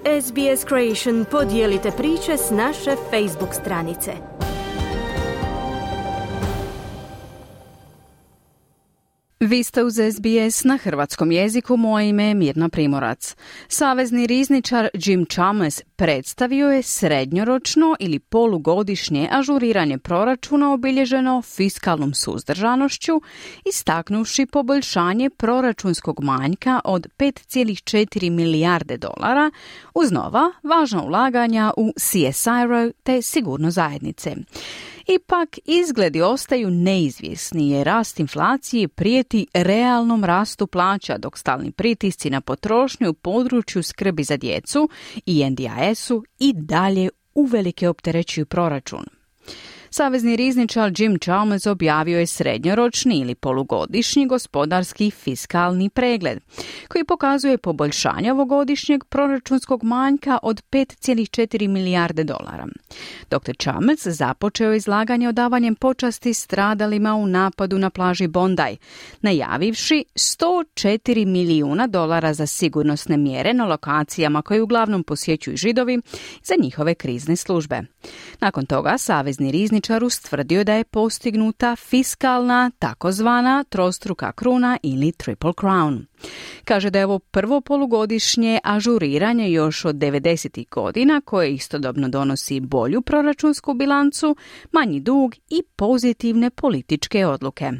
SBS Creation, podijelite priče s naše Facebook stranice. Vi ste uz SBS na hrvatskom jeziku, moje ime je Mirna Primorac. Savezni rizničar Jim Chalmers predstavio je srednjoročno ili polugodišnje ažuriranje proračuna obilježeno fiskalnom suzdržanošću, istaknuvši poboljšanje proračunskog manjka od 5,4 milijarde dolara uz nova važna ulaganja u CSIRO te sigurnost zajednice. Ipak, izgledi ostaju neizvjesni jer rast inflacije prijeti realnom rastu plaća, dok stalni pritisci na potrošnju u području skrbi za djecu i NDIS-u i dalje uvelike opterećuju proračun. Savezni rizničar Jim Chalmers objavio je srednjoročni ili polugodišnji gospodarski fiskalni pregled, koji pokazuje poboljšanje ovogodišnjeg proračunskog manjka od 5,4 milijarde dolara. Dr. Chalmers započeo izlaganje odavanjem počasti stradalima u napadu na plaži Bondi, najavivši $104 milijuna za sigurnosne mjere na lokacijama koje uglavnom posjećuju Židovi za njihove krizne službe. Nakon toga savezni rizničar ustvrdio da je postignuta fiskalna, takozvana trostruka kruna ili triple crown. Kaže da je ovo prvo polugodišnje ažuriranje još od 90. godina koje istodobno donosi bolju proračunsku bilancu, manji dug i pozitivne političke odluke.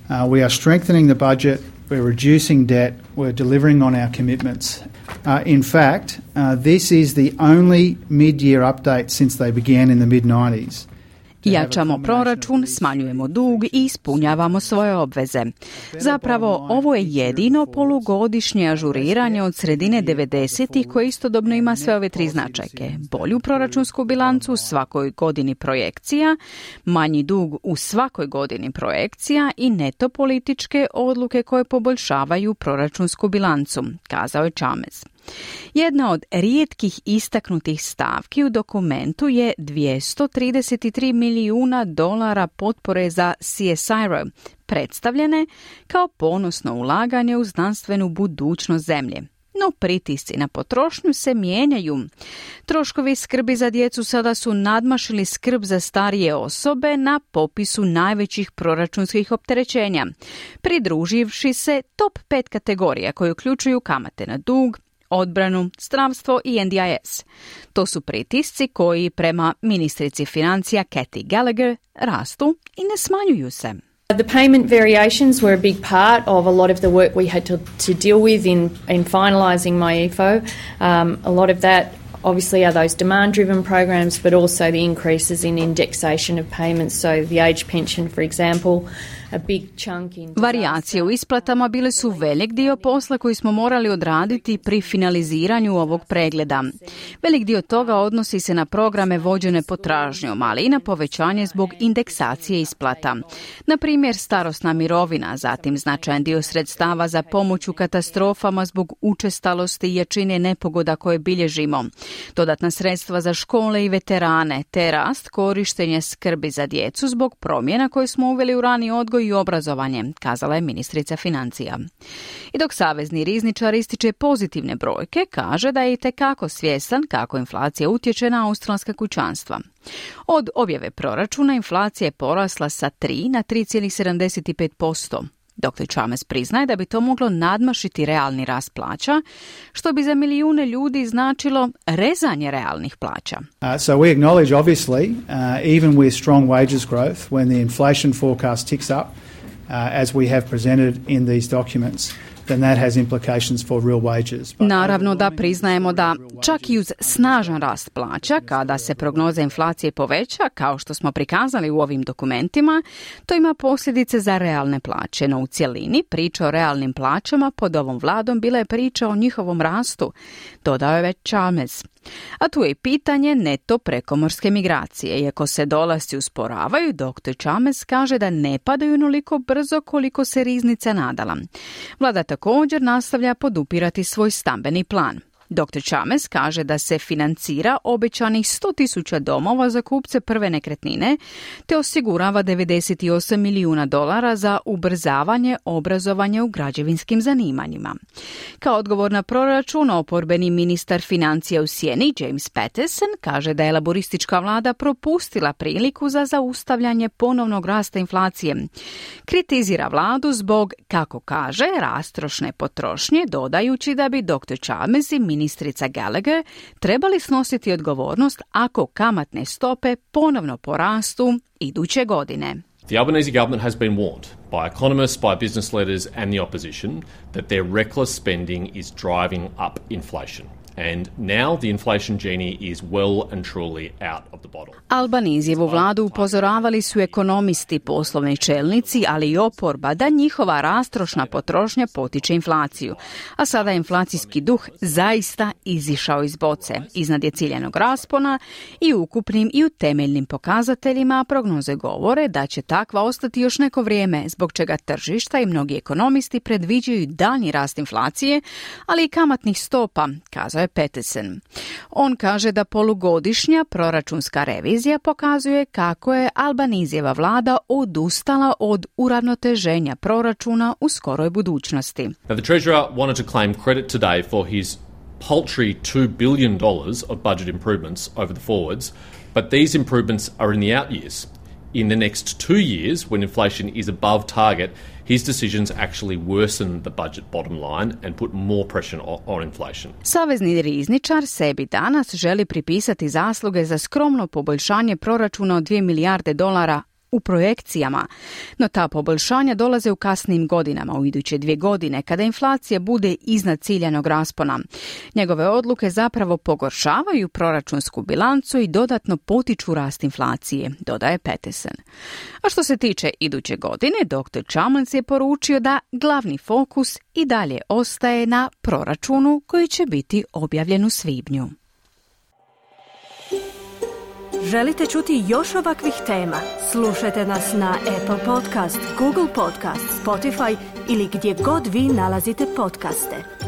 We are strengthening the budget, we're reducing debt, we're delivering on our commitments. In fact, this is the only mid-year update since they began in the mid-90s. Jačamo proračun, smanjujemo dug i ispunjavamo svoje obveze. Zapravo, ovo je jedino polugodišnje ažuriranje od sredine 90-ih koje istodobno ima sve ove tri značajke. Bolju proračunsku bilancu u svakoj godini projekcija, manji dug u svakoj godini projekcija i neto političke odluke koje poboljšavaju proračunsku bilancu, kazao je Chalmers. Jedna od rijetkih istaknutih stavki u dokumentu je $233 milijuna potpore za CSIRO, predstavljene kao ponosno ulaganje u znanstvenu budućnost zemlje. No pritisci na potrošnju se mijenjaju. Troškovi skrbi za djecu sada su nadmašili skrb za starije osobe na popisu najvećih proračunskih opterećenja, pridruživši se top 5 kategorija koje uključuju kamate na dug, odbranu, zdravstvo i NDIS. To su pritisci koji prema ministrici financija Kathy Gallagher rastu i ne smanjuju se. The payment variations were a big part of a lot of the work we had to deal with in finalising MyEFO. A lot of that obviously are those demand-driven programs, but also the increases in indexation of payments. So the age pension, for example, a big chunk in... Varijacije u isplatama bile su velik dio posla koji smo morali odraditi pri finaliziranju ovog pregleda. Velik dio toga odnosi se na programe vođene potražnjom, ali i na povećanje zbog indeksacije isplata. Na primjer, starosna mirovina, zatim značajan dio sredstava za pomoć u katastrofama zbog učestalosti i jačine nepogoda koje bilježimo, dodatna sredstva za škole i veterane, te rast korištenja skrbi za djecu zbog promjena koje smo uveli u rani odgoj i obrazovanje, kazala je ministrica financija. I dok savezni rizničar ističe pozitivne brojke, kaže da je itekako svjestan kako inflacija utječe na australska kućanstva. Od objave proračuna inflacija je porasla sa 3 na 3,75%. Dr. Chalmers priznaje da bi to moglo nadmašiti realni rast plaća, što bi za milijune ljudi značilo rezanje realnih plaća. So we acknowledge obviously, even with strong wages growth, when the inflation forecast ticks up, as we have presented in these documents, then that has implications for real wages. Naravno da priznajemo da čak i uz snažan rast plaća, kada se prognoza inflacije poveća, kao što smo prikazali u ovim dokumentima, to ima posljedice za realne plaće, no u cjelini priča o realnim plaćama pod ovom vladom bila je priča o njihovom rastu, dodao je već Chalmers. A tu je i pitanje neto prekomorske migracije. Iako se dolasci usporavaju, dr. Chalmers kaže da ne padaju onoliko brzo koliko se riznica nadala. Vlada također nastavlja podupirati svoj stambeni plan. Dr. Chalmers kaže da se financira obećanih 100.000 domova za kupce prve nekretnine, te osigurava $98 milijuna za ubrzavanje obrazovanja u građevinskim zanimanjima. Kao odgovor na proračun, oporbeni ministar financija u sjeni James Paterson kaže da je laboristička vlada propustila priliku za zaustavljanje ponovnog rasta inflacije. Kritizira vladu zbog, kako kaže, rastrošne potrošnje, dodajući da bi Dr. Chalmers i ministrica Gallagher trebali snositi odgovornost ako kamatne stope ponovno porastu iduće godine. The Albanese government has been warned by economists, by business leaders and the opposition that their reckless spending is driving up inflation. And now the inflation genie is well and truly out of the bottle. Albanizijevu vladu upozoravali su ekonomisti, poslovni čelnici, ali i oporba da njihova rastrošna potrošnja potiče inflaciju. A sada je inflacijski duh zaista izišao iz boce. Iznad je ciljanog raspona i u ukupnim i u temeljnim pokazateljima prognoze govore da će takva ostati još neko vrijeme, zbog čega tržišta i mnogi ekonomisti predviđaju daljnji rast inflacije, ali i kamatnih stopa, kazao je Peterson. On kaže da polugodišnja proračunska revizija pokazuje kako je Albanizijeva vlada odustala od uravnoteženja proračuna u skoroj budućnosti. Now, the Treasurer wanted to claim credit today for his paltry $2 billion of budget improvements over the forwards, but these improvements are in the out years. In the next 2 years, when inflation is above target, his decisions actually worsen the budget bottom line and put more pressure on inflation. Savezni rizničar sebi danas želi pripisati zasluge za skromno poboljšanje proračuna od $2 milijarde u projekcijama, no ta poboljšanja dolaze u kasnim godinama, u iduće 2 godine, kada inflacija bude iznad ciljanog raspona. Njegove odluke zapravo pogoršavaju proračunsku bilancu i dodatno potiču rast inflacije, dodaje Peterson. A što se tiče iduće godine, Dr. Chalmers je poručio da glavni fokus i dalje ostaje na proračunu koji će biti objavljen u svibnju. Želite čuti još ovakvih tema? Slušajte nas na Apple Podcast, Google Podcast, Spotify ili gdje god vi nalazite podcaste.